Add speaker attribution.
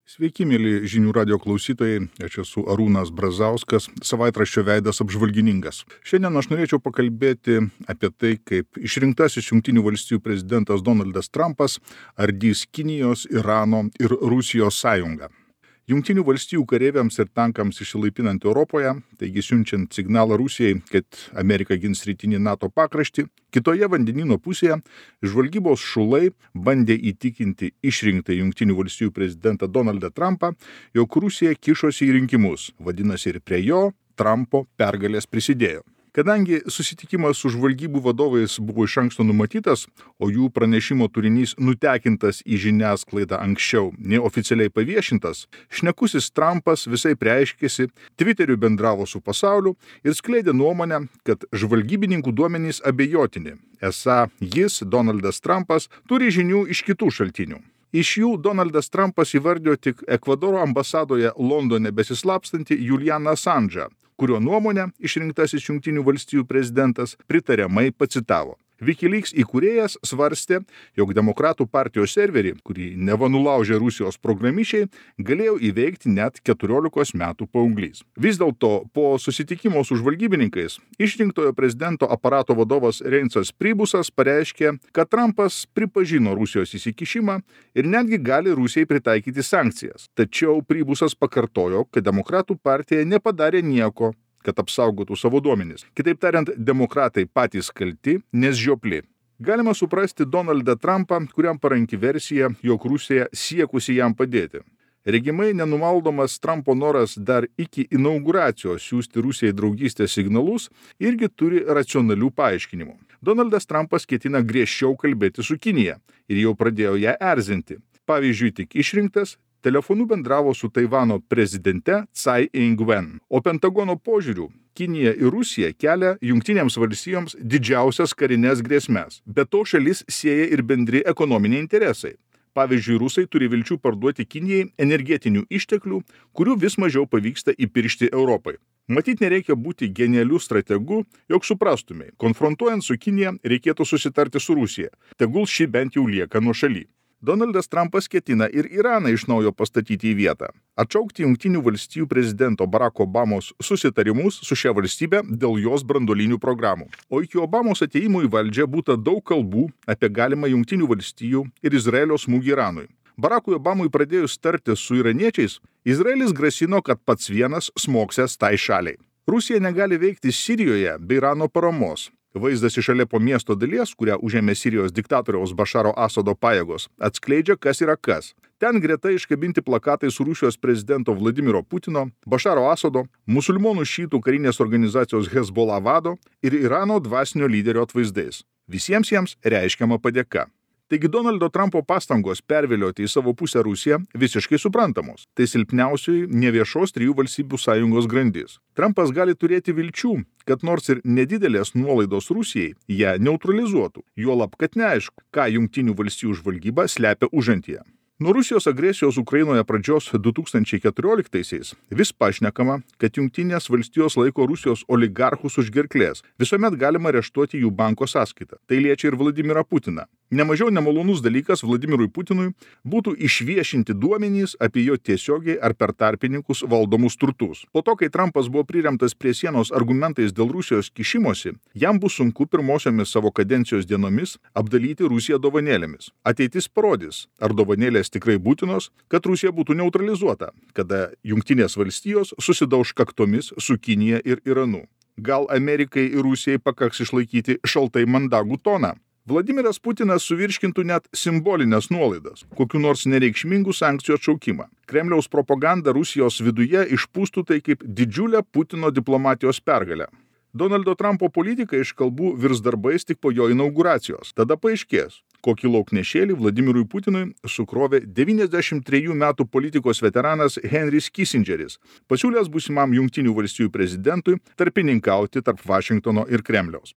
Speaker 1: Sveiki, mėly žinių radio klausytojai, aš esu Arūnas Brazauskas, savaitraščio Veidas apžvalgininkas. Šiandien aš norėčiau pakalbėti apie tai, kaip išrinktasis Jungtinių valstijų prezidentas Donaldas Trumpas ardys Kinijos, Irano ir Rusijos sąjungą. Jungtinių valstijų kareiviams ir tankams išsilaipinant Europoje, taigi siunčiant signalą Rusijai, kad Amerika gins rytinį NATO pakraštį, kitoje vandenyno pusėje žvalgybos šulai bandė įtikinti išrinktą Jungtinių valstijų prezidentą Donaldą Trumpą, jog Rusija kišosi į rinkimus, vadinasi ir prie jo Trumpo pergalės prisidėjo. Kadangi susitikimas su žvalgybų vadovais buvo iš anksto numatytas, o jų pranešimo turinys nutekintas į žiniasklaidą anksčiau, neoficialiai paviešintas, šnekusis Trumpas visai reiškėsi, Twitteriu bendravo su pasauliu ir skleidė nuomonę, kad žvalgybininkų duomenys abejotini. Esą jis, Donaldas Trumpas, turi žinių iš kitų šaltinių. Iš jų Donaldas Trumpas įvardijo tik Ekvadoro ambasadoje Londone besislapstantį Julianą Assange'ą, kurio nuomonę išrinktasis Jungtinių valstijų prezidentas pritariamai pacitavo. WikiLeaks įkūrėjas svarstė, jog demokratų partijos serverį, kurį neva nulaužė Rusijos programišiai, galėjo įveikti net 14 metų paauglys. Vis dėlto po susitikimo su žvalgybininkais išrinktojo prezidento aparato vadovas Reinsas Pribusas pareiškė, kad Trumpas pripažino Rusijos įsikišimą ir netgi gali Rusijai pritaikyti sankcijas. Tačiau Pribusas pakartojo, kad demokratų partija nepadarė nieko, kad apsaugotų savo duomenis. Kitaip tariant, demokratai patys kalti, nes žiopli. Galima suprasti Donaldą Trumpą, kuriam paranki versija, jog Rusija siekusi jam padėti. Regimai nenumaldomas Trumpo noras dar iki inauguracijos siųsti Rusijai draugystės signalus irgi turi racionalių paaiškinimų. Donaldas Trumpas ketina griežčiau kalbėti su Kinija ir jau pradėjo ją erzinti. Pavyzdžiui, tik išrinktas telefonu bendravo su Taivano prezidente Tsai Ing-wen. O Pentagono požiūriu, Kinija ir Rusija kelia Jungtinėms valstijoms didžiausias karinės grėsmes. Be to šalis sieja ir bendri ekonominiai interesai. Pavyzdžiui, rusai turi vilčių parduoti Kinijai energetinių išteklių, kurių vis mažiau pavyksta įpiršti Europai. Matyt, nereikia būti genialiu strategu, jog suprastumei. Konfrontuojant su Kinija, reikėtų susitarti su Rusija. Tegul ši bent jau lieka nuošaly. Donaldas Trumpas ketina ir Iraną iš naujo pastatyti į vietą, atšaukti Jungtinių valstijų prezidento Barack Obamos susitarimus su šia valstybe dėl jos branduolinių programų. O iki Obamos atėjimo į valdžią būta daug kalbų apie galimą Jungtinių valstijų ir Izraelio smūgį Iranui. Barackui Obamui pradėjus tartis su iraniečiais, Izraelis grasino, kad pats vienas smogsęs tai šaliai. Rusija negali veikti Sirijoje be Irano paramos. Vaizdas iš Alepo miesto dalies, kurią užėmė Sirijos diktatoriaus Bašaro Asado pajėgos, atskleidžia, kas yra kas. Ten greta iškabinti plakatai su Rusijos prezidento Vladimiro Putino, Bašaro Asado, musulmonų šytų karinės organizacijos Hezbollah vado ir Irano dvasinio lyderio atvaizdais. Visiems jiems reiškiama padėka. Taigi Donaldo Trumpo pastangos pervilioti į savo pusę Rusiją visiškai suprantamos. Tai silpniausioji neviešos trijų valstybių sąjungos grandis. Trumpas gali turėti vilčių, kad nors ir nedidelės nuolaidos Rusijai ją neutralizuotų, juolab, kad neaišku, ką Jungtinių valstijų žvalgyba slepia užantyje. Nuo Rusijos agresijos Ukrainoje pradžios 2014-aisiais vis pašnekama, kad Jungtinės valstijos laiko Rusijos oligarchus už gerklės. Visuomet galima areštuoti jų banko sąskaitą. Tai liečia ir Vladimirą Putiną. Nemažiau nemalonus dalykas Vladimirui Putinui būtų išviešinti duomenys apie jo tiesiogiai ar per tarpininkus valdomus turtus. Po to, kai Trumpas buvo priremtas prie sienos argumentais dėl Rusijos kišimosi, jam bus sunku pirmosiomis savo kadencijos dienomis apdalyti Rusiją dovanėlėmis. Ateitis parodys, ar dovanėlės tikrai būtinos, kad Rusija būtų neutralizuota, kada Jungtinės valstijos susidauš kaktomis su Kinija ir Iranu. Gal Amerikai ir Rusijai pakaks išlaikyti šaltai mandagų toną? Vladimiras Putinas suvirškintų net simbolinės nuolaidas, kokiu nors nereikšmingų sankcijų atšaukimą. Kremliaus propaganda Rusijos viduje išpūstų tai kaip didžiulę Putino diplomatijos pergalę. Donaldo Trumpo politika iš kalbų virs darbais tik po jo inauguracijos. Tada paaiškės, kokį lauknešėlį Vladimirui Putinui sukrovė 93 metų politikos veteranas Henris Kissingeris, pasiūlęs būsimam Jungtinių valstijų prezidentui tarpininkauti tarp Vašingtono ir Kremliaus.